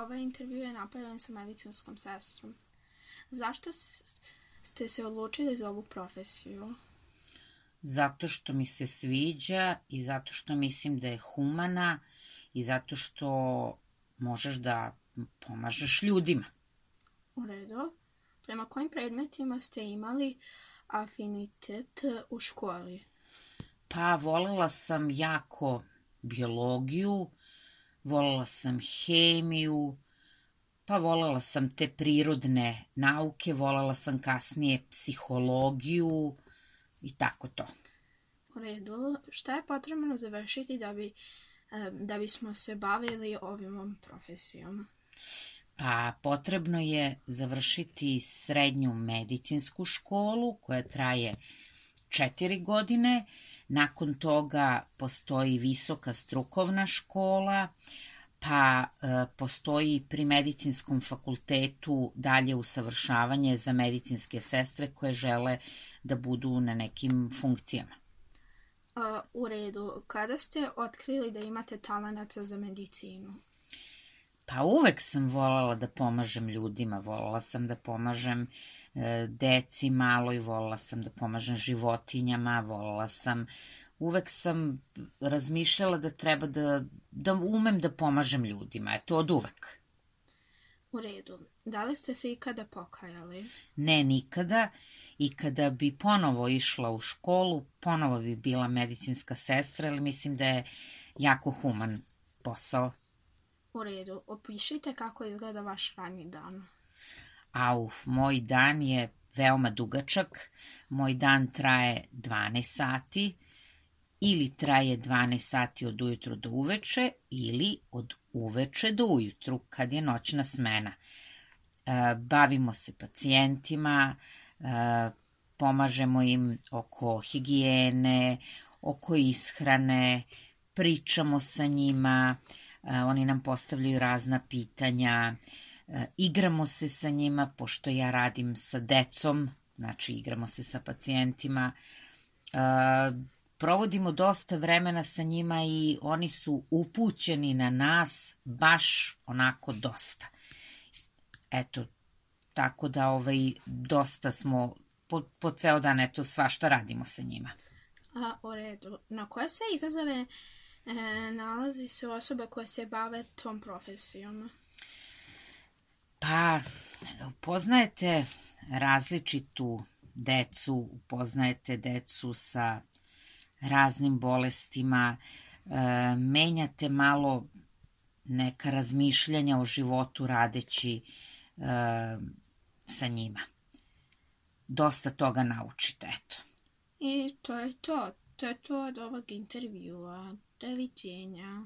ovaj intervju je napravljen sa medicinskom sestrom. Zašto ste se odlučili za ovu profesiju? Zato što mi se sviđa i zato što mislim da je humana i zato što možeš da pomažeš ljudima. U redu. Prema kojim predmetima ste imali afinitet u školi? Pa volela sam jako biologiju, volela sam hemiju, pa volela sam te prirodne nauke, volela sam kasnije psihologiju i tako to. U redu. Šta je potrebno završiti da bismo se bavili ovom profesijom? Pa potrebno je završiti srednju medicinsku školu koja traje 4 godine. Nakon toga postoji visoka strukovna škola, pa postoji pri medicinskom fakultetu dalje usavršavanje za medicinske sestre koje žele da budu na nekim funkcijama. U redu. Kada ste otkrili da imate talenata za medicinu? Pa uvek sam volela da pomažem ljudima, volela sam da pomažem deci maloj, volela sam da pomažem životinjama, uvek sam razmišljala da treba da umem da pomažem ljudima, eto od uvek. U redu. Da li ste se ikada pokajali? Ne, nikada. I kada bi ponovo išla u školu, ponovo bi bila medicinska sestra, ali mislim da je jako human posao. U redu. Opišite kako izgleda vaš radni dan. Moj dan je veoma dugačak. Moj dan traje 12 sati ili traje 12 sati od ujutru do uveče ili od uveče do ujutru kad je noćna smena. Bavimo se pacijentima, pomažemo im oko higijene, oko ishrane, pričamo sa njima, oni nam postavljaju razna pitanja, igramo se sa njima, pošto ja radim sa decom, znači igramo se sa pacijentima, provodimo dosta vremena sa njima i oni su upućeni na nas baš onako dosta. Eto, tako da dosta smo po ceo dan, eto, svašta radimo sa njima. U redu. Na koje sve izazove nalazi se osoba koja se bave tom profesijom? Pa, upoznajete različitu decu, upoznajete decu sa raznim bolestima, menjate malo neka razmišljanja o životu radeći sa njima. Dosta toga naučite, eto. I to je to. To je to od ovog intervjua. Doviđenja.